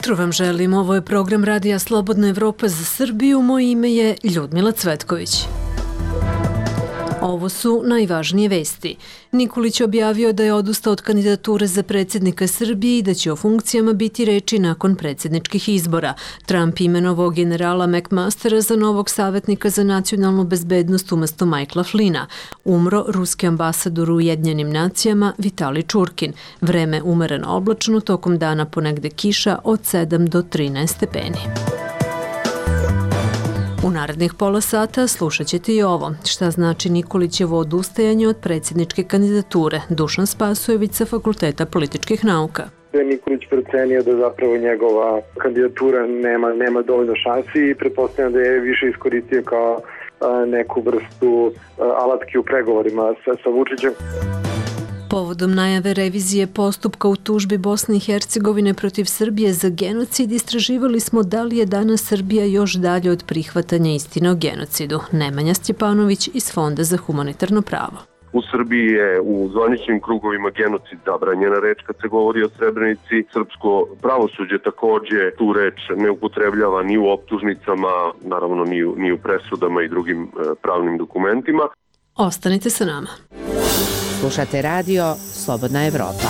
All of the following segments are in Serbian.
jutro vam želim. Ovo je program Radija Slobodna Evropa za Srbiju. Moje ime je Ljudmila Cvetković. Ovo su najvažnije vesti. Nikolić objavio da je odustao od kandidature za predsjednika Srbije i da će o funkcijama biti reči nakon predsjedničkih izbora. Trump imenovao generala McMastera za novog savjetnika za nacionalnu bezbednost umjesto Michaela Flynna. Umro ruski ambasador u Ujedinjenim nacijama Vitali Čurkin. Vreme umereno oblačno, tokom dana ponegde kiša od 7 do 13 stepeni. U narednih pola sata slušat ćete i ovo. Šta znači Nikolićevo odustajanje od predsjedničke kandidature? Dušan Spasojević sa Fakulteta političkih nauka. Nikolić procenio da zapravo njegova kandidatura nema dovoljno šansi i pretpostavljam da je više iskoristio kao neku vrstu alatke u pregovorima sa Vučićem. Povodom najave revizije postupka u tužbi Bosne i Hercegovine protiv Srbije za genocid, istraživali smo da li je danas Srbija još dalje od prihvatanja istine o genocidu. Nemanja Stjepanović iz Fonda za humanitarno pravo. U Srbiji je u zvaničnim krugovima genocid zabranjena reč kad se govori o Srebrenici. Srpsko pravosuđe također tu reč ne upotrebljava ni u optužnicama, naravno ni u presudama i drugim pravnim dokumentima. Ostanite sa nama. Slušate radio Slobodna Evropa.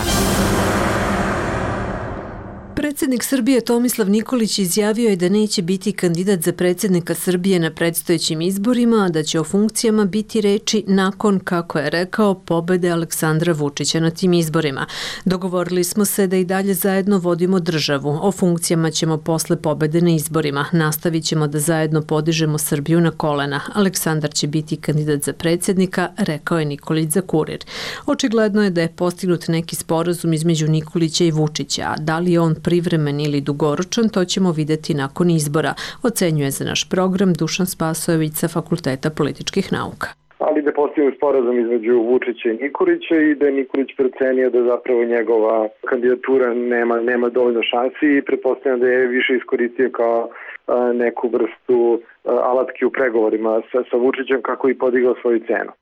Predsjednik Srbije Tomislav Nikolić izjavio je da neće biti kandidat za predsjednika Srbije na predstojećim izborima, a da će o funkcijama biti reči nakon, kako je rekao, pobede Aleksandra Vučića na tim izborima. Dogovorili smo se da i dalje zajedno vodimo državu. O funkcijama ćemo posle pobede na izborima. Nastavit ćemo da zajedno podižemo Srbiju na kolena. Aleksandar će biti kandidat za predsjednika, rekao je Nikolić za Kurir. Očigledno je da je postignut neki sporazum između Nikolića i Vučića, a da li je on privremen ili dugoročan, to ćemo vidjeti nakon izbora, ocenjuje za naš program Dušan Spasojević sa Fakulteta političkih nauka. Ali da postoji sporazum između Vučića i Nikolića i da je Nikolić procenio da zapravo njegova kandidatura nema dovoljno šansi i pretpostavljam da je više iskoristio kao neku vrstu alatke u pregovorima sa Vučićem kako i podigao svoju cenu.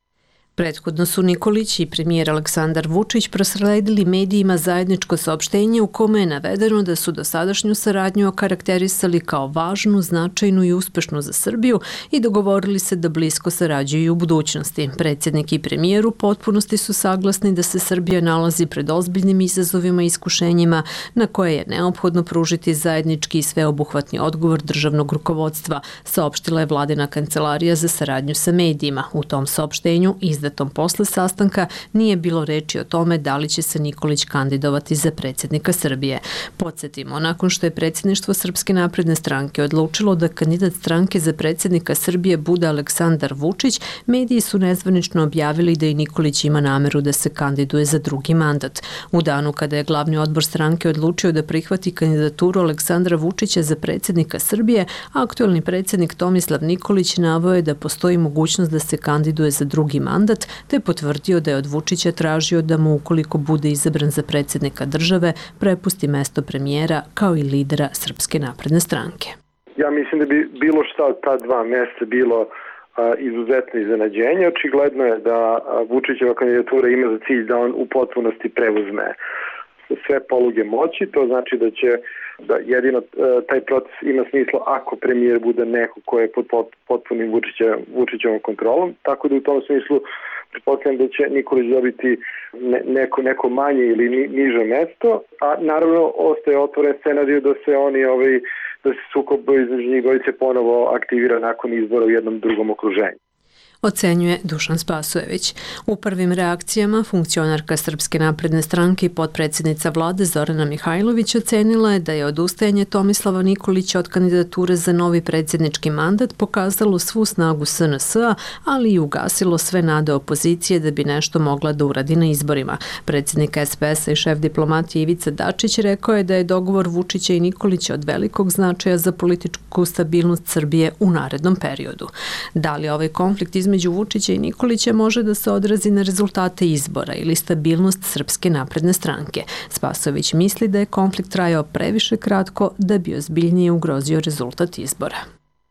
Prethodno su Nikolić i premijer Aleksandar Vučić prosledili medijima zajedničko saopštenje u kome je navedeno da su dosadašnju saradnju okarakterisali kao važnu, značajnu i uspešnu za Srbiju i dogovorili se da blisko sarađuju u budućnosti. Predsjednik i premijer u potpunosti su saglasni da se Srbija nalazi pred ozbiljnim izazovima i iskušenjima na koje je neophodno pružiti zajednički i sveobuhvatni odgovor državnog rukovodstva, saopštila je vladina kancelarija za saradnju sa medijima. U tom saopštenju izdatom posle sastanka nije bilo reči o tome da li će se Nikolić kandidovati za predsjednika Srbije. Podsjetimo, nakon što je predsjedništvo Srpske napredne stranke odlučilo da kandidat stranke za predsjednika Srbije bude Aleksandar Vučić, mediji su nezvanično objavili da i Nikolić ima nameru da se kandiduje za drugi mandat. U danu kada je glavni odbor stranke odlučio da prihvati kandidaturu Aleksandra Vučića za predsjednika Srbije, aktuelni predsjednik Tomislav Nikolić naveo je da postoji mogućnost da se kandiduje za drugi mandat, te potvrdio da je od Vučića tražio da mu, ukoliko bude izabran za predsjednika države, prepusti mesto premijera kao i lidera Srpske napredne stranke. Ja mislim da bi bilo šta od ta dva mjesta bilo izuzetno iznenađenje. Očigledno je da Vučićeva kandidatura ima za cilj da on u potpunosti preuzme sve poluge moći. To znači da jedino taj proces ima smisla ako premijer bude neko ko je pod potpunim Vučićevom kontrolom. Tako da u tom smislu pretpostavljam da će Nikolić dobiti neko manje ili niže mesto, a naravno ostaje otvoren scenarij da se da se sukob između njih dvojice ponovo aktivira nakon izbora u jednom drugom okruženju. Ocenjuje Dušan Spasojević. U prvim reakcijama funkcionarka Srpske napredne stranke i potpredsjednica vlade Zorana Mihajlović ocenila je da je odustajanje Tomislava Nikolića od kandidature za novi predsjednički mandat pokazalo svu snagu SNS-a, ali i ugasilo sve nade opozicije da bi nešto mogla da uradi na izborima. Predsjednik SPS-a i šef diplomatije Ivica Dačić rekao je da je dogovor Vučića i Nikolića od velikog značaja za političku stabilnost Srbije u narednom periodu. Da li ovaj konflikt između Vučića i Nikolića može da se odrazi na rezultate izbora ili stabilnost Srpske napredne stranke? Spasojević misli da je konflikt trajao previše kratko da bi ozbiljnije ugrozio rezultat izbora.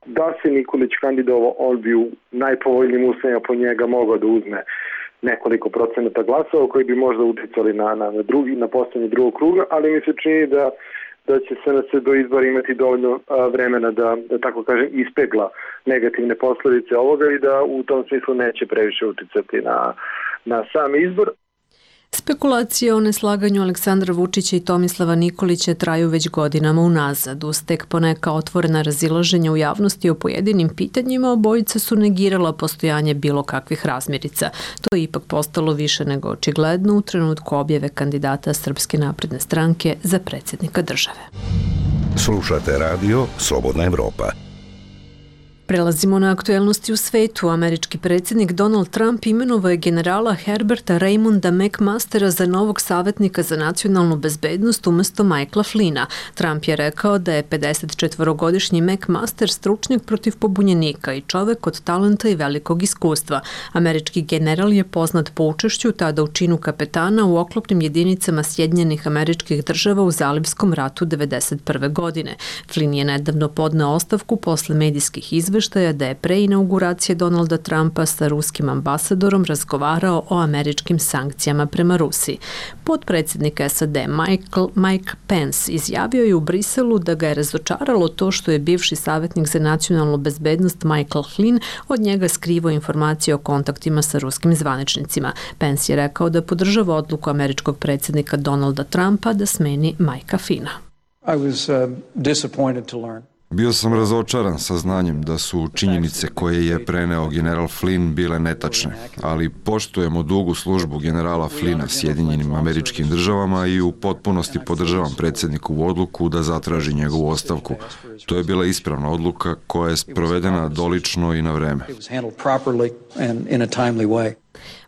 Da se Nikolić kandidovao, on bi u najpovoljnijim uslovima po njega mogao da uzme nekoliko procenata glasova koji bi možda uticali na postojanje drugog kruga, ali mi se čini da da će SNS do izbora imati dovoljno vremena da tako kažem, ispegla negativne posledice ovoga i da u tom smislu neće previše uticati na sam izbor. Spekulacije o neslaganju Aleksandra Vučića i Tomislava Nikolića traju već godinama unazad. Uz tek poneka otvorena razilaženja u javnosti o pojedinim pitanjima, obojica su negirala postojanje bilo kakvih razmirica. To je ipak postalo više nego očigledno u trenutku objave kandidata Srpske napredne stranke za predsjednika države. Slušate radio Slobodna Evropa. Prelazimo na aktuelnosti u svetu. Američki predsjednik Donald Trump imenovao je generala Herberta Raymonda McMastera za novog savjetnika za nacionalnu bezbednost umjesto Michaela Flynna. Trump je rekao da je 54-godišnji McMaster stručnjak protiv pobunjenika i čovek od talenta i velikog iskustva. Američki general je poznat po učešću tada u činu kapetana u oklopnim jedinicama Sjedinjenih Američkih Država u Zalivskom ratu 1991. godine. Flynn je nedavno podneo ostavku posle medijskih izveštaja da je pre inauguracije Donalda Trumpa sa ruskim ambasadorom razgovarao o američkim sankcijama prema Rusiji. Potpredsjednik SAD Mike Pence izjavio je u Briselu da ga je razočaralo to što je bivši savjetnik za nacionalnu bezbednost Michael Flynn od njega skrivao informacije o kontaktima sa ruskim zvaničnicima. Pence je rekao da podržava odluku američkog predsjednika Donalda Trumpa da smeni Mikea Flynna. Bio sam razočaran saznanjem da su činjenice koje je preneo general Flynn bile netačne, ali poštujemo dugu službu generala Flynna Sjedinjenim Američkim Državama i u potpunosti podržavam predsjednikovu odluku da zatraži njegovu ostavku. To je bila ispravna odluka koja je sprovedena dolično i na vreme.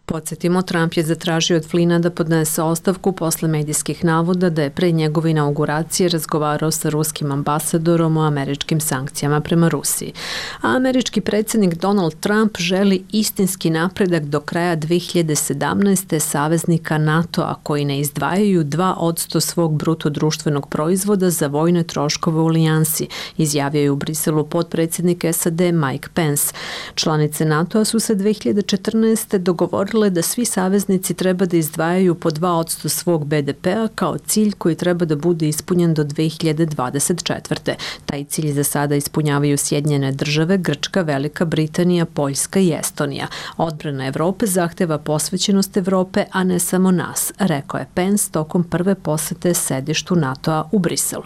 Podsjetimo, Trump je zatražio od Flynna da podnese ostavku posle medijskih navoda da je pre njegove inauguracije razgovarao sa ruskim ambasadorom o američkim sankcijama prema Rusiji. A američki predsjednik Donald Trump želi istinski napredak do kraja 2017. saveznika NATO-a koji ne izdvajaju 2% svog bruto društvenog proizvoda za vojne troškove u alijansi, izjavio je u Briselu potpredsjednik SAD Mike Pence. Članice NATO-a su se 2014. dogovorile da svi saveznici treba da izdvajaju po 2% svog BDP-a kao cilj koji treba da bude ispunjen do 2024. Taj cilj za sada ispunjavaju Sjedinjene Države, Grčka, Velika Britanija, Poljska i Estonija. Odbrana Evrope zahteva posvećenost Evrope, a ne samo nas, rekao je Pence tokom prve posete sedištu NATO-a u Briselu.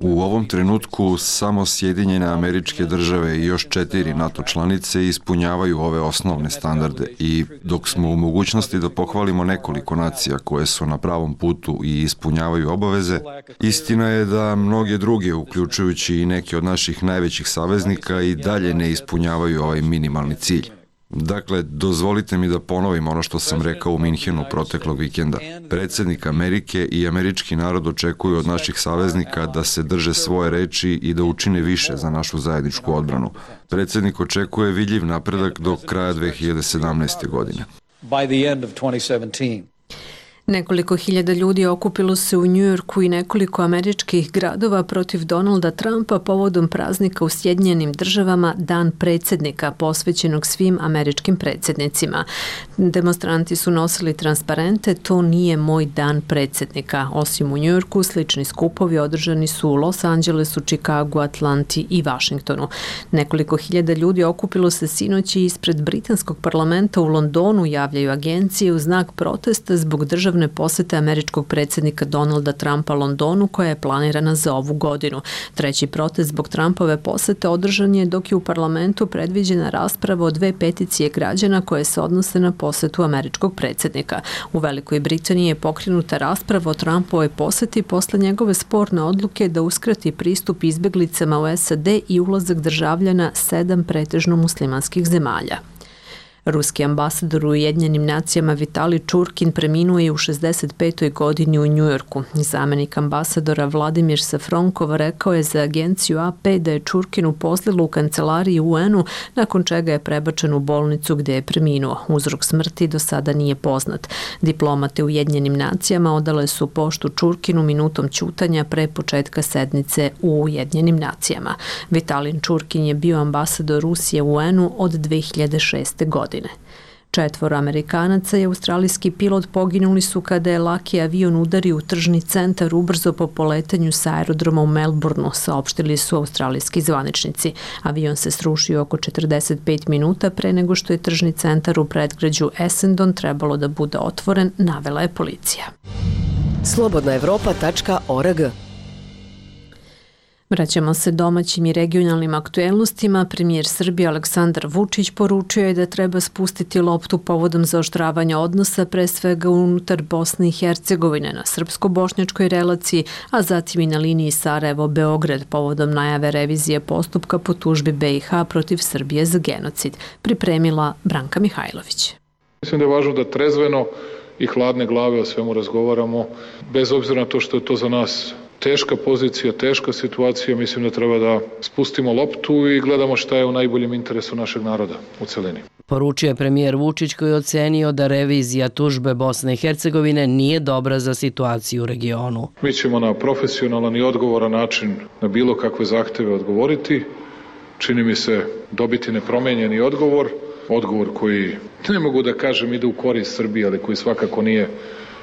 U ovom trenutku samo Sjedinjene Američke Države i još 4 NATO članice ispunjavaju ove osnovne standarde i dok smo u mogućnosti da pohvalimo nekoliko nacija koje su na pravom putu i ispunjavaju obaveze, istina je da mnoge druge, uključujući i neke od naših najvećih saveznika, i dalje ne ispunjavaju ovaj minimalni cilj. Dakle, dozvolite mi da ponovim ono što sam rekao u Minhenu proteklog vikenda. Predsjednik Amerike i američki narod očekuju od naših saveznika da se drže svoje reči i da učine više za našu zajedničku odbranu. Predsjednik očekuje vidljiv napredak do kraja 2017. godine. Nekoliko hiljada ljudi okupilo se u Njujorku i nekoliko američkih gradova protiv Donalda Trumpa povodom praznika u Sjedinjenim Državama Dan predsjednika, posvećenog svim američkim predsjednicima. Demonstranti su nosili transparente "To nije moj dan predsjednika". Osim u Njujorku, slični skupovi održani su u Los Angelesu, Čikagu, Atlanti i Vašingtonu. Nekoliko hiljada ljudi okupilo se sinoć ispred britanskog parlamenta u Londonu, javljaju agencije, u znak protesta zbog državne posete američkog predsjednika Donalda Trumpa Londonu koja je planirana za ovu godinu. Treći protest zbog Trumpove posete održan je dok je u parlamentu predviđena rasprava o 2 peticije građana koje se odnose na posetu američkog predsjednika. U Velikoj Britaniji je pokrenuta rasprava o Trumpovoj poseti posle njegove sporne odluke da uskrati pristup izbjeglicama u SAD i ulazak državljana 7 pretežno muslimanskih zemalja. Ruski ambasador u Ujedinjenim nacijama Vitali Čurkin preminuo je u 65. godini u Njujorku. Zamenik ambasadora Vladimir Safronkov rekao je za agenciju AP da je Čurkin uposlilo u kancelariji UN-u, nakon čega je prebačen u bolnicu gde je preminuo. Uzrok smrti do sada nije poznat. Diplomate u Ujedinjenim nacijama odale su poštu Čurkinu minutom ćutanja pre početka sednice u Ujedinjenim nacijama. Vitalin Čurkin je bio ambasador Rusije u UN-u od 2006. godine. 4 Amerikanaca i australijski pilot poginuli su kada je laki avion udario u tržni centar ubrzo po poletanju sa aerodroma u Melbourneu, saopštili su australijski zvaničnici. Avion se srušio oko 45 minuta pre nego što je tržni centar u predgrađu Essendon trebalo da bude otvoren, navela je policija. Slobodnaevropa.org. Vraćamo se domaćim i regionalnim aktuelnostima. Premijer Srbije Aleksandar Vučić poručio je da treba spustiti loptu povodom zaoštravanja odnosa, pre svega unutar Bosne i Hercegovine na srpsko-bošnjačkoj relaciji, a zatim i na liniji Sarajevo-Beograd povodom najave revizije postupka po tužbi BiH protiv Srbije za genocid. Pripremila Branka Mihajlović. Mislim da je važno da trezveno i hladne glave o svemu razgovaramo, bez obzira na to što je to za nas teška pozicija, teška situacija. Mislim da treba da spustimo loptu i gledamo šta je u najboljem interesu našeg naroda u celini. Poručio je premijer Vučić koji je ocenio da revizija tužbe Bosne i Hercegovine nije dobra za situaciju u regionu. Mi ćemo na profesionalan i odgovoran način na bilo kakve zahteve odgovoriti. Čini mi se dobiti nepromenjeni odgovor koji, ne mogu da kažem, ide u korist Srbije, ali koji svakako nije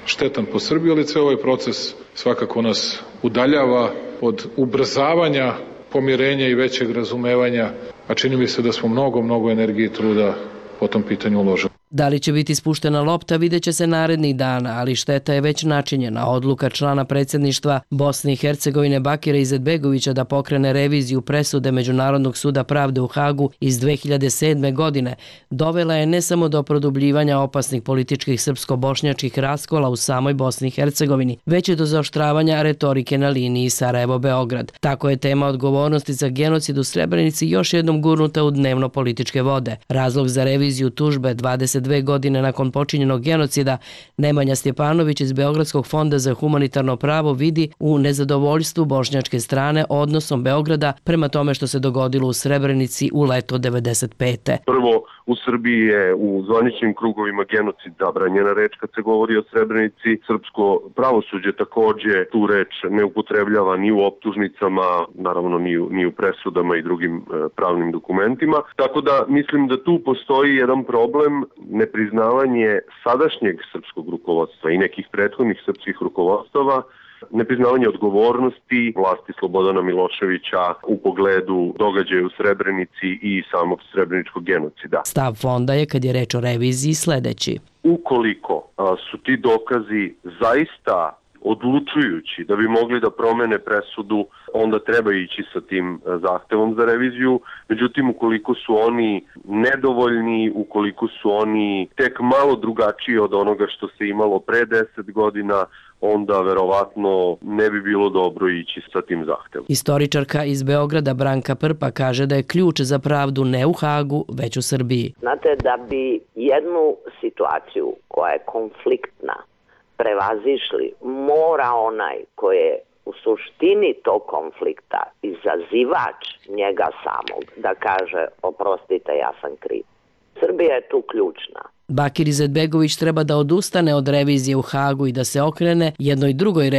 štetan po Srbiji, ali ceo ovaj proces svakako nas udaljava od ubrzavanja pomirenja i većeg razumevanja, a čini mi se da smo mnogo energije i truda po tom pitanju uložili. Da li će biti spuštena lopta vidjet će se narednih dana, ali šteta je već načinjena. Odluka člana predsjedništva Bosne i Hercegovine Bakira Izetbegovića da pokrene reviziju presude Međunarodnog suda pravde u Hagu iz 2007. godine dovela je ne samo do produbljivanja opasnih političkih srpsko-bošnjačkih raskola u samoj Bosni i Hercegovini, već i do zaoštravanja retorike na liniji Sarajevo-Beograd. Tako je tema odgovornosti za genocid u Srebrenici još jednom gurnuta u dnevno-političke vode. Razlog za reviziju tužbe 22 godine nakon počinjenog genocida Nemanja Stjepanović iz Beogradskog fonda za humanitarno pravo vidi u nezadovoljstvu bošnjačke strane odnosom Beograda prema tome što se dogodilo u Srebrenici u leto 95. Prvo, u Srbiji je u zvaničnim krugovima genocid zabranjena reč kad se govori o Srebrenici. Srpsko pravosuđe takođe tu reč ne upotrebljava ni u optužnicama, naravno ni u presudama i drugim pravnim dokumentima. Tako da mislim da tu postoji jedan problem, nepriznavanje sadašnjeg srpskog rukovodstva i nekih prethodnih srpskih rukovodstava, nepriznavanje odgovornosti vlasti Slobodana Miloševića u pogledu događaja u Srebrenici i samog srebreničkog genocida. Stav fonda je, kad je reč o reviziji, sledeći. Ukoliko su ti dokazi zaista odlučujući da bi mogli da promene presudu, onda treba ići sa tim zahtevom za reviziju. Međutim, ukoliko su oni nedovoljni, ukoliko su oni tek malo drugačiji od onoga što se imalo pre 10 godina, onda verovatno ne bi bilo dobro ići sa tim zahtevom. Istoričarka iz Beograda Branka Prpa kaže da je ključ za pravdu ne u Hagu, već u Srbiji. Znate, da bi jednu situaciju koja je konfliktna prevazišli, mora onaj koji je u suštini tog konflikta izazivač njega samog da kaže oprostite, ja sam kriv. Srbija je tu ključna. Bakir Izetbegović treba da odustane od revizije u Hagu i da se okrene jednoj drugoj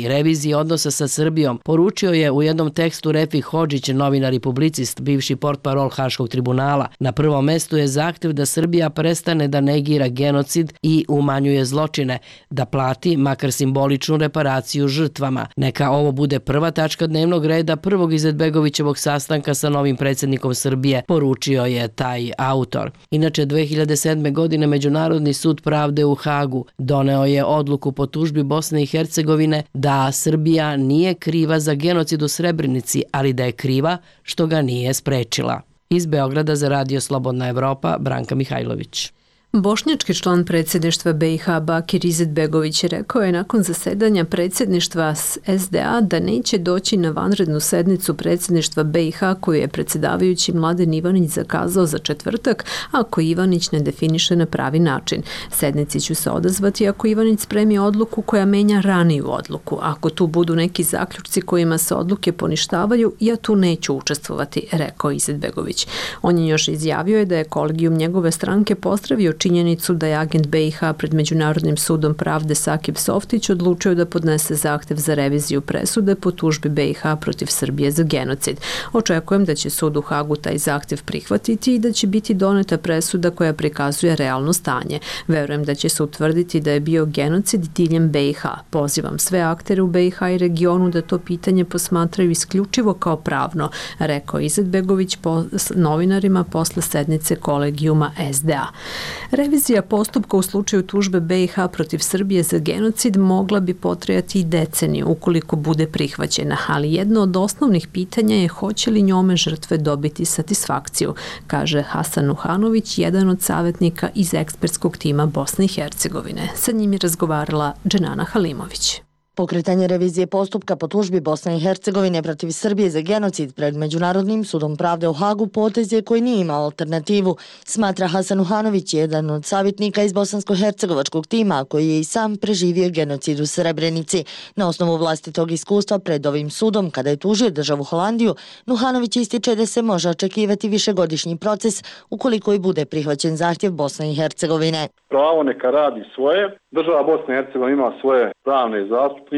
reviziji odnosa sa Srbijom, poručio je u jednom tekstu Refik Hodžić, novinar i publicist, bivši portparol Haškog tribunala. Na prvom mestu je zahtev da Srbija prestane da negira genocid i umanjuje zločine, da plati makar simboličnu reparaciju žrtvama. Neka ovo bude prva tačka dnevnog reda prvog Izetbegovićevog sastanka sa novim predsjednikom Srbije, poručio je taj autor. Inače, 2007. godine Međunarodni sud pravde u Hagu doneo je odluku po tužbi Bosne i Hercegovine da Srbija nije kriva za genocid u Srebrenici, ali da je kriva što ga nije sprečila. Iz Beograda za Radio Slobodna Evropa, Branka Mihajlović. Bošnjački član predsjedništva BiH Bakir Izetbegović rekao je nakon zasedanja predsjedništva SDA da neće doći na vanrednu sednicu predsjedništva BiH koju je predsjedavajući Mladen Ivanić zakazao za četvrtak, ako Ivanić ne definiše na pravi način. Sednici ću se odazvati ako Ivanić spremi odluku koja menja raniju odluku. Ako tu budu neki zaključci kojima se odluke poništavaju, ja tu neću učestvovati, rekao Izetbegović. On je još izjavio da je kolegijum njegove stranke pozdravio činjenicu da je agent BiH pred Međunarodnim sudom pravde Sakib Softić odlučio da podnese zahtev za reviziju presude po tužbi BiH protiv Srbije za genocid. Očekujem da će sud u Hagu taj zahtev prihvatiti i da će biti doneta presuda koja prikazuje realno stanje. Verujem da će se utvrditi da je bio genocid diljem BiH. Pozivam sve aktere u BiH i regionu da to pitanje posmatraju isključivo kao pravno, rekao Izetbegović novinarima posle sednice kolegijuma SDA. Revizija postupka u slučaju tužbe BiH protiv Srbije za genocid mogla bi potrajati i deceniju ukoliko bude prihvaćena, ali jedno od osnovnih pitanja je hoće li njome žrtve dobiti satisfakciju, kaže Hasan Nuhanović, jedan od savjetnika iz ekspertskog tima Bosne i Hercegovine. Sa njim je razgovarala Dženana Halimović. Pokretanje revizije postupka po tužbi Bosne i Hercegovine protiv Srbije za genocid pred Međunarodnim sudom pravde u Hagu potez je koji nije imao alternativu, smatra Hasan Uhanović, jedan od savjetnika iz bosansko-hercegovačkog tima koji je i sam preživio genocid u Srebrenici. Na osnovu vlastitog iskustva pred ovim sudom, kada je tužio državu Holandiju, Nuhanović ističe da se može očekivati višegodišnji proces ukoliko i bude prihvaćen zahtjev Bosne i Hercegovine. Pravo neka radi svoje, država Bosne i Hercegovine ima svoje pravne zastupnike,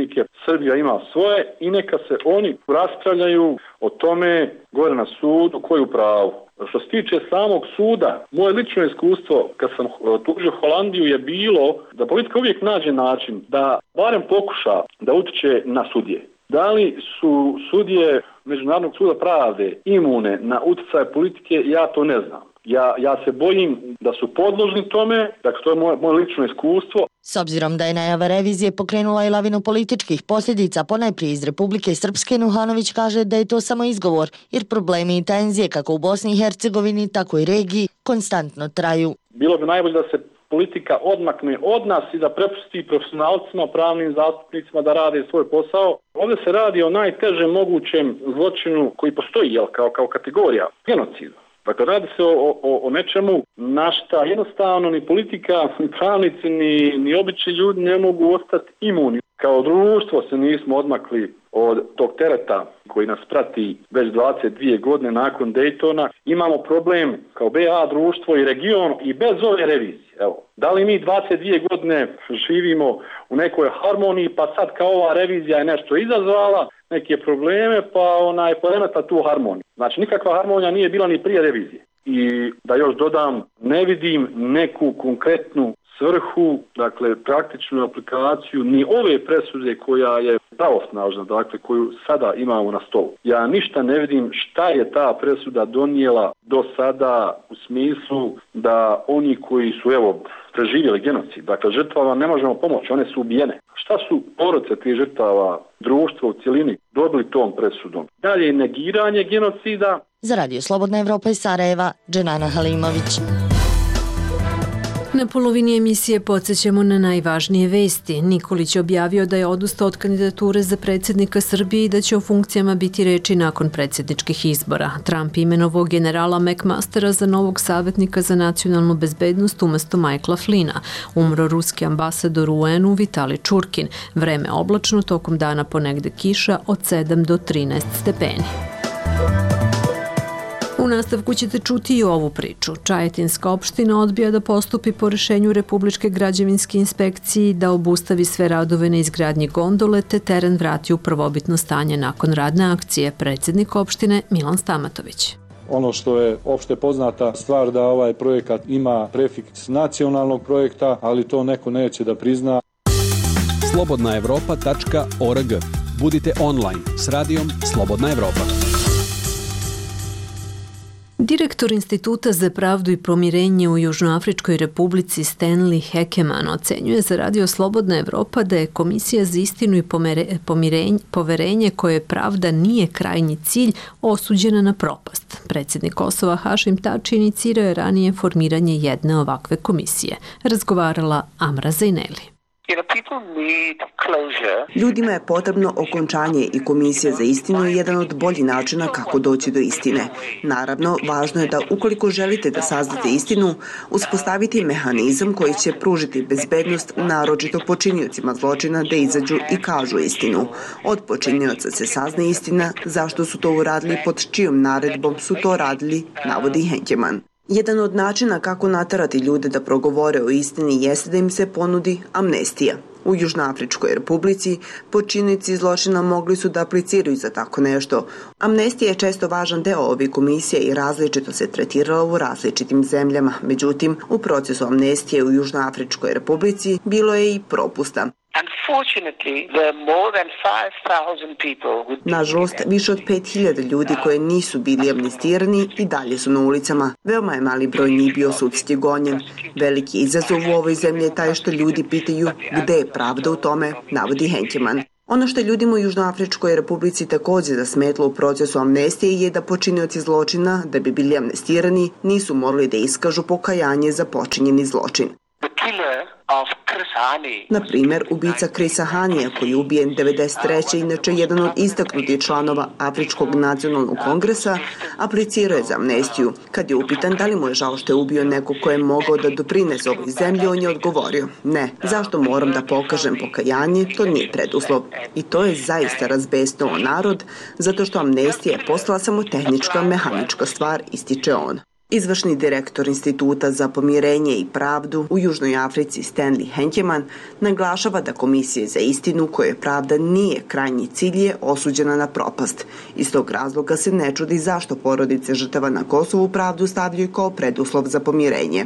Srbija ima svoje i neka se oni raspravljaju o tome gore na sudu ko je u pravu. Što se tiče samog suda, moje lično iskustvo kad sam tužio Holandiju je bilo da politika uvijek nađe način da barem pokuša da utiče na sudije. Da li su sudije Međunarodnog suda pravde imune na utjecaj politike, ja to ne znam. Ja se bojim da su podložni tome, dakle to je moje lično iskustvo. S obzirom da je najava revizije pokrenula i lavinu političkih posljedica, ponajprije iz Republike Srpske, Nuhanović kaže da je to samo izgovor, jer problemi i tenzije kako u Bosni i Hercegovini, tako i regiji konstantno traju. Bilo bi najbolje da se politika odmakne od nas i da prepusti profesionalcima, pravnim zastupnicima da rade svoj posao. Ovdje se radi o najtežem mogućem zločinu koji postoji kao kategorija, genocidu. Dakle, radi se o nečemu na šta jednostavno ni politika, ni pravnici, ni obični ljudi ne mogu ostati imuni. Kao društvo se nismo odmakli od tog tereta koji nas prati već 22 godine nakon Daytona. Imamo problem kao BA društvo i region i bez ove revizije. Evo, da li mi 22 godine živimo u nekoj harmoniji pa sad kao ova revizija je nešto izazvala, neke probleme pa poremeta tu harmoniju. Znači nikakva harmonija nije bila ni prije revizije. I da još dodam, ne vidim neku konkretnu svrhu, dakle praktičnu aplikaciju ni ove presude koja je pravosnažna, dakle koju sada imamo na stolu. Ja ništa ne vidim šta je ta presuda donijela do sada u smislu da oni koji su preživjeli genocid, dakle žrtvama ne možemo pomoći, one su ubijene. Šta su porodice tih žrtava, društvo u cjelini dobili tom presudom? Dalje negiranje genocida. Za Radio Slobodna Evropa iz Sarajeva, Dženana Halimović. Na polovini emisije podsjećamo na najvažnije vesti. Nikolić je objavio da je odustao od kandidature za predsjednika Srbije i da će o funkcijama biti reči nakon predsjedničkih izbora. Trump imenovao generala McMastera za novog savjetnika za nacionalnu bezbednost umjesto Michaela Flina. Umro ruski ambasador u UN-u Vitali Čurkin. Vreme oblačno, tokom dana ponegde kiša od 7 do 13 stepeni. U nastavku ćete čuti i ovu priču. Čajetinska opština odbija da postupi po rešenju Republičke građevinske inspekcije da obustavi sve radove na izgradnji gondole te teren vrati u prvobitno stanje nakon radne akcije. Predsjednik opštine Milan Stamatović. Ono što je opšte poznata stvar da ovaj projekat ima prefiks nacionalnog projekta, ali to neko neće da prizna. slobodnaevropa.org. Budite online s radijom Slobodna Evropa. Direktor Instituta za pravdu i pomirenje u Južnoafričkoj republici Stanley Hekeman ocenjuje za Radio Slobodna Evropa da je Komisija za istinu i poverenje koje pravda nije krajnji cilj osuđena na propast. Predsjednik Kosova Hašim Tači inicirao je ranije formiranje jedne ovakve komisije. Razgovarala Amra Zaineli. Ljudima je potrebno okončanje i Komisija za istinu je jedan od boljih načina kako doći do istine. Naravno, važno je da ukoliko želite da saznate istinu, uspostaviti mehanizam koji će pružiti bezbednost naročito počiniocima zločina da izađu i kažu istinu. Od počinioca se sazna istina, zašto su to uradili, pod čijom naredbom su to radili, navodi Henkeman. Jedan od načina kako naterati ljude da progovore o istini jeste da im se ponudi amnestija. U Južnoafričkoj republici počinioci zločina mogli su da apliciraju za tako nešto. Amnestija je često važan deo ovih komisija i različito se tretirala u različitim zemljama. Međutim, u procesu amnestije u Južnoafričkoj republici bilo je i propusta. Nažalost, više od 5.000 ljudi koje nisu bili amnestirani i dalje su na ulicama. Veoma je mali broj njih bio sudski gonjen. Veliki izazov u ovoj zemlji je taj što ljudi pitaju gde je pravda u tome, navodi Henkeman. Ono što je ljudima u Južnoafričkoj republici također zasmetlo u procesu amnestije je da počinioci zločina, da bi bili amnestirani, nisu morali da iskažu pokajanje za počinjeni zločin. Na primjer, ubica Chrisa Hanija, koji je ubijen 1993. inače jedan od istaknutih članova Afričkog nacionalnog kongresa, aplicirao je za amnestiju. Kad je upitan da li mu je žao što je ubio neko ko je mogao da doprinese ovoj zemlji, on je odgovorio: ne, zašto moram da pokažem pokajanje, to nije preduslov. I to je zaista razbesnulo narod, zato što amnestija je postala samo tehnička, mehanička stvar, ističe on. Izvršni direktor Instituta za pomirenje i pravdu u Južnoj Africi Stanley Henkeman naglašava da Komisija za istinu, koje pravda nije krajnji cilj, je osuđena na propast. Iz tog razloga se ne čudi zašto porodice žrtava na Kosovu pravdu stavljaju kao preduslov za pomirenje.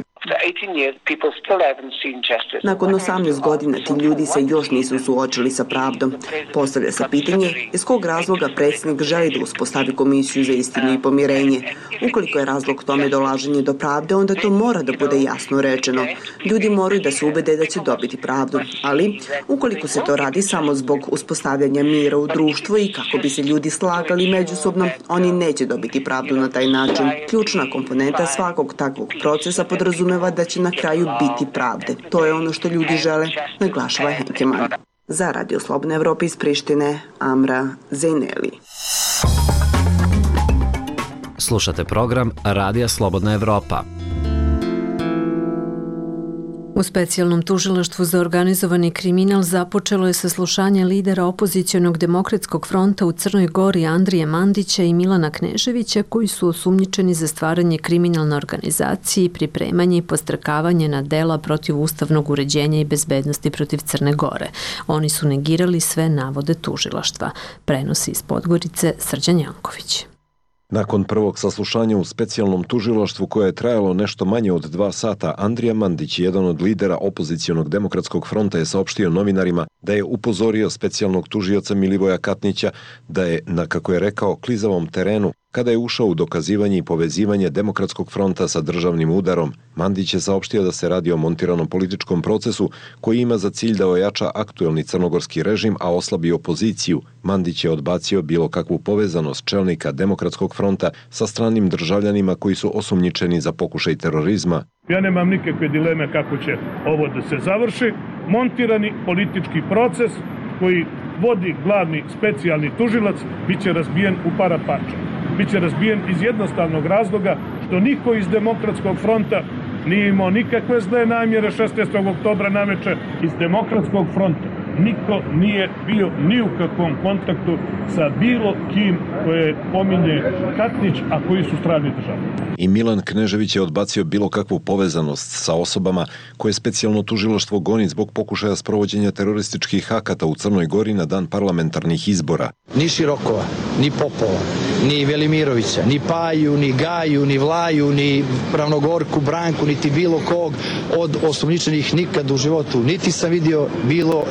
Nakon 18 godina ti ljudi se još nisu suočili sa pravdom. Postavlja se pitanje iz kog razloga predsjednik želi da uspostavi Komisiju za istinu i pomirenje. Ukoliko je razlog tome dolaženje do pravde, onda to mora da bude jasno rečeno. Ljudi moraju da se ubede da će dobiti pravdu, ali ukoliko se to radi samo zbog uspostavljanja mira u društvu i kako bi se ljudi slagali međusobno, oni neće dobiti pravdu na taj način. Ključna komponenta svakog takvog procesa podrazumeva da će na kraju biti pravde. To je ono što ljudi žele, naglašava Henkeman. Za Radio Slobodna Evropa iz Prištine, Amra Zejneli. Slušate program Radija Slobodna Evropa. U specijalnom tužilaštvu za organizovani kriminal započelo je saslušanje lidera opozicionog demokratskog fronta u Crnoj Gori Andrije Mandića i Milana Kneževića, koji su osumnjičeni za stvaranje kriminalne organizacije, pripremanje i postrkavanje na dela protiv ustavnog uređenja i bezbednosti protiv Crne Gore. Oni su negirali sve navode tužilaštva. Prenosi iz Podgorice Srđan Janković. Nakon prvog saslušanja u specijalnom tužilaštvu koje je trajalo nešto manje od 2 sata, Andrija Mandić, jedan od lidera opozicionog demokratskog fronta, je saopštio novinarima da je upozorio specijalnog tužioca Milivoja Katnića da je, na kako je rekao, klizavom terenu kada je ušao u dokazivanje i povezivanje demokratskog fronta sa državnim udarom. Mandić je saopštio da se radi o montiranom političkom procesu koji ima za cilj da ojača aktuelni crnogorski režim, a oslabi opoziciju. Mandić je odbacio bilo kakvu povezanost čelnika demokratskog fronta sa stranim državljanima koji su osumnjičeni za pokušaj terorizma. Ja nemam nikakve dileme kako će ovo da se završi. Montirani politički proces koji vodi glavni specijalni tužilac biće razbijen u para parča. Biće razbijen iz jednostavnog razloga što niko iz demokratskog fronta nije imao nikakve zle namjere 16. oktobra naveče. Iz demokratskog fronta niko nije bio ni u kakvom kontaktu sa bilo kim koje pominje Katnić, a koji su strani državni. I Milan Knežević je odbacio bilo kakvu povezanost sa osobama koje specijalno tužilaštvo goni zbog pokušaja sprovođenja terorističkih akata u Crnoj Gori na dan parlamentarnih izbora. Ni Širokova, ni Popova, ni Velimirovića, ni Paju, ni Gaju, ni Vlaju, ni Ravnogorku, Branku, niti bilo kog od osumnjičenih nikad u životu. Niti sam vidio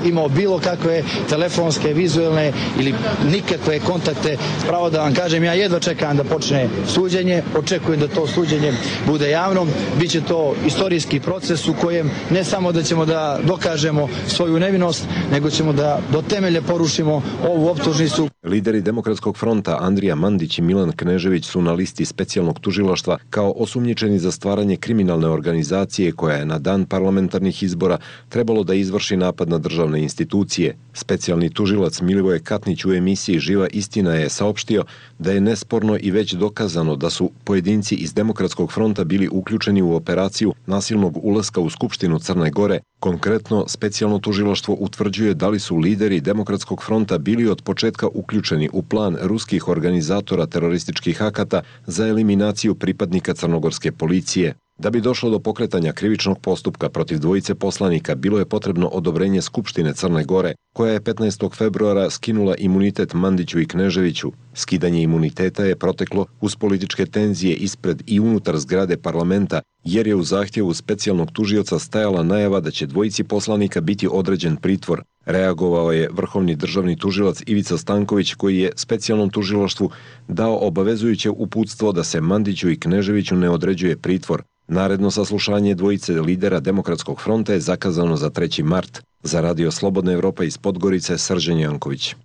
imao bilo kakve telefonske, vizuelne ili nikakve kontakte. Pravo da vam kažem, ja jedva čekam da počne suđenje, očekujem da to suđenje bude javno. Biće to istorijski proces u kojem ne samo da ćemo da dokažemo svoju nevinost, nego ćemo da do temelja porušimo ovu optužnicu. Lideri demokratskog fronta Andrija Mandić i Milan Knežević su na listi specijalnog tužilaštva kao osumnjičeni za stvaranje kriminalne organizacije koja je na dan parlamentarnih izbora trebalo da izvrši napad na državne institucije. Specijalni tužilac Milivoje Katnić u emisiji Živa istina je saopštio da je nesporno i već dokazano da su pojedinci iz demokratskog fronta bili uključeni u operaciju nasilnog ulaska u Skupštinu Crne Gore, Konkretno, specijalno tužilaštvo utvrđuje da li su lideri Demokratskog fronta bili od početka uključeni u plan ruskih organizatora terorističkih akata za eliminaciju pripadnika crnogorske policije. Da bi došlo do pokretanja krivičnog postupka protiv dvojice poslanika, bilo je potrebno odobrenje Skupštine Crne Gore, koja je 15. februara skinula imunitet Mandiću i Kneževiću. Skidanje imuniteta je proteklo uz političke tenzije ispred i unutar zgrade parlamenta, jer je u zahtjevu specijalnog tužioca stajala najava da će dvojici poslanika biti određen pritvor. Reagovao je vrhovni državni tužilac Ivica Stanković, koji je specijalnom tužilaštvu dao obavezujuće uputstvo da se Mandiću i Kneževiću ne određuje pritvor. Naredno saslušanje dvojice lidera Demokratskog fronta je zakazano za 3. mart. Za Radio Slobodna Evropa iz Podgorice, Srđan Janković.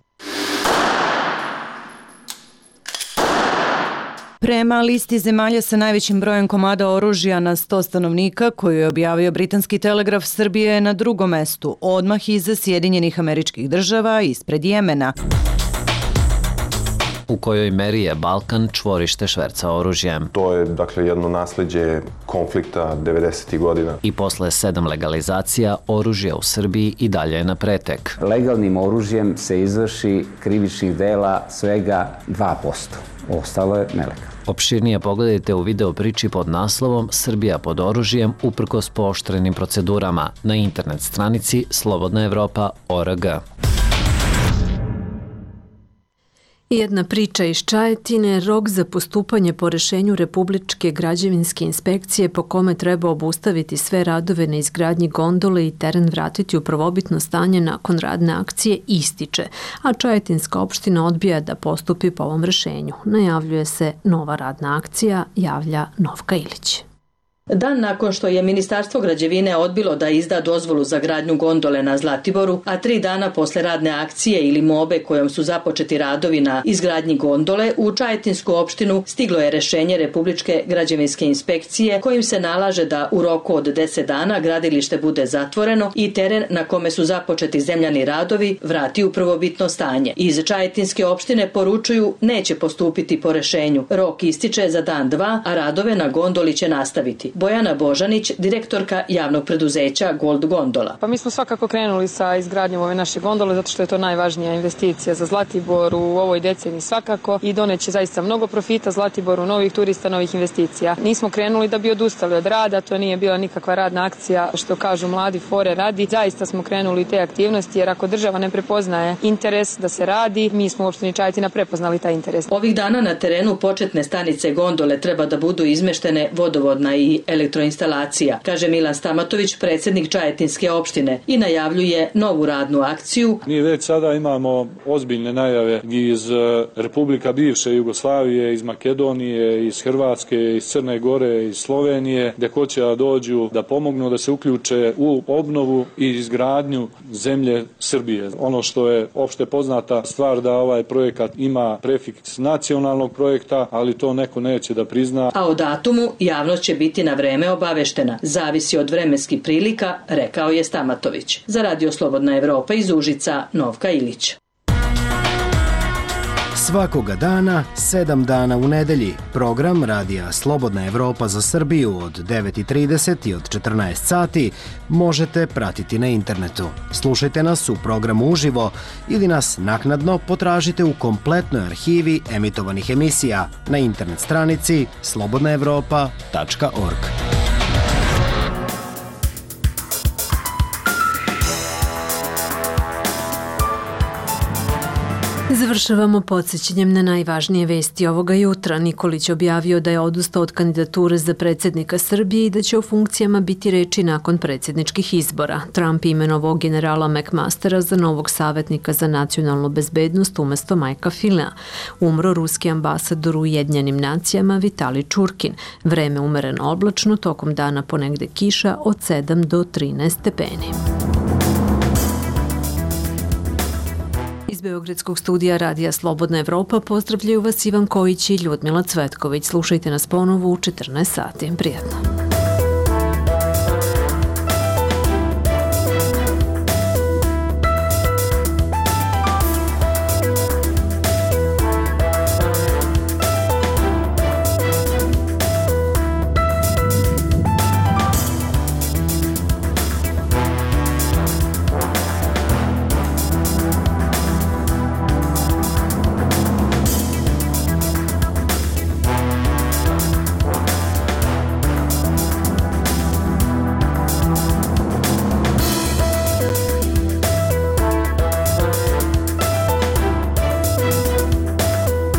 Prema listi zemalja sa najvećim brojem komada oružja na 100 stanovnika, koju je objavio britanski telegraf, Srbija je na drugom mestu, odmah iza Sjedinjenih Američkih Država, ispred Jemena. U kojoj meri je Balkan čvorište šverca oružjem. To je, dakle, jedno nasleđe konflikta 90. godina. I posle 7 legalizacija, oružje u Srbiji i dalje je na pretek. Legalnim oružjem se izvrši krivičnih dela svega 2%. Ostalo je nelegalno. Opširnije pogledajte u video priči pod naslovom Srbija pod oružjem uprkos pooštrenim procedurama na internet stranici slobodnaevropa.org. Jedna priča iz Čajetine, rok za postupanje po rešenju Republičke građevinske inspekcije po kome treba obustaviti sve radove na izgradnji gondole i teren vratiti u prvobitno stanje nakon radne akcije ističe, a Čajetinska opština odbija da postupi po ovom rešenju. Najavljuje se nova radna akcija, javlja Novka Ilić. Dan nakon što je Ministarstvo građevine odbilo da izda dozvolu za gradnju gondole na Zlatiboru, a 3 dana posle radne akcije ili mobe kojom su započeti radovi na izgradnji gondole, u Čajetinsku opštinu stiglo je rešenje Republičke građevinske inspekcije kojim se nalaže da u roku od 10 dana gradilište bude zatvoreno i teren na kome su započeti zemljani radovi vrati u prvobitno stanje. Iz Čajetinske opštine poručuju neće postupiti po rešenju. Rok ističe za dan 2, a radove na gondoli će nastaviti. Bojana Božanić, direktorka javnog preduzeća Gold Gondola. Pa mi smo svakako krenuli sa izgradnjom ove naše gondole zato što je to najvažnija investicija za Zlatibor u ovoj deceniji svakako i doneće zaista mnogo profita Zlatiboru, novih turista, novih investicija. Nismo krenuli da bi odustali od rada, to nije bila nikakva radna akcija, što kažu mladi fore radi. Zaista smo krenuli te aktivnosti jer ako država ne prepoznaje interes da se radi, mi smo u opštini Čajetina prepoznali taj interes. Ovih dana na terenu početne stanice gondole treba da budu izmeštene vodovodna i elektroinstalacija, kaže Milan Stamatović, predsjednik Čajetinske opštine, i najavljuje novu radnu akciju. Mi već sada imamo ozbiljne najave iz Republika bivše Jugoslavije, iz Makedonije, iz Hrvatske, iz Crne Gore, iz Slovenije, gde hoće da dođu da pomognu da se uključe u obnovu i izgradnju zemlje Srbije. Ono što je opšte poznata stvar da ovaj projekat ima prefiks nacionalnog projekta, ali to neko neće da prizna. A o datumu javnost će biti na vreme obaveštena. Zavisi od vremenskih prilika, rekao je Stamatović. Za Radio Slobodna Evropa iz Užica, Novka Ilić. Svakoga dana, 7 dana u nedelji. Program Radija Slobodna Evropa za Srbiju od 9:30 i od 14 sati možete pratiti na internetu. Slušajte nas u programu uživo ili nas naknadno potražite u kompletnoj arhivi emitovanih emisija na internet stranici slobodnaevropa.org. Završavamo podsjećanjem na najvažnije vesti ovoga jutra. Nikolić objavio da je odustao od kandidature za predsjednika Srbije i da će o funkcijama biti reči nakon predsjedničkih izbora. Trump imenovao generala McMastera za novog savjetnika za nacionalnu bezbednost umjesto Majka Filea. Umro ruski ambasador u Ujedinjenim nacijama Vitali Čurkin. Vreme umereno oblačno, tokom dana ponegde kiša od 7 do 13 stepeni. Iz Beogradskog studija Radija Slobodna Evropa pozdravljaju vas Ivan Kojić i Ljudmila Cvetković. Slušajte nas ponovo u 14 sati. Prijatno.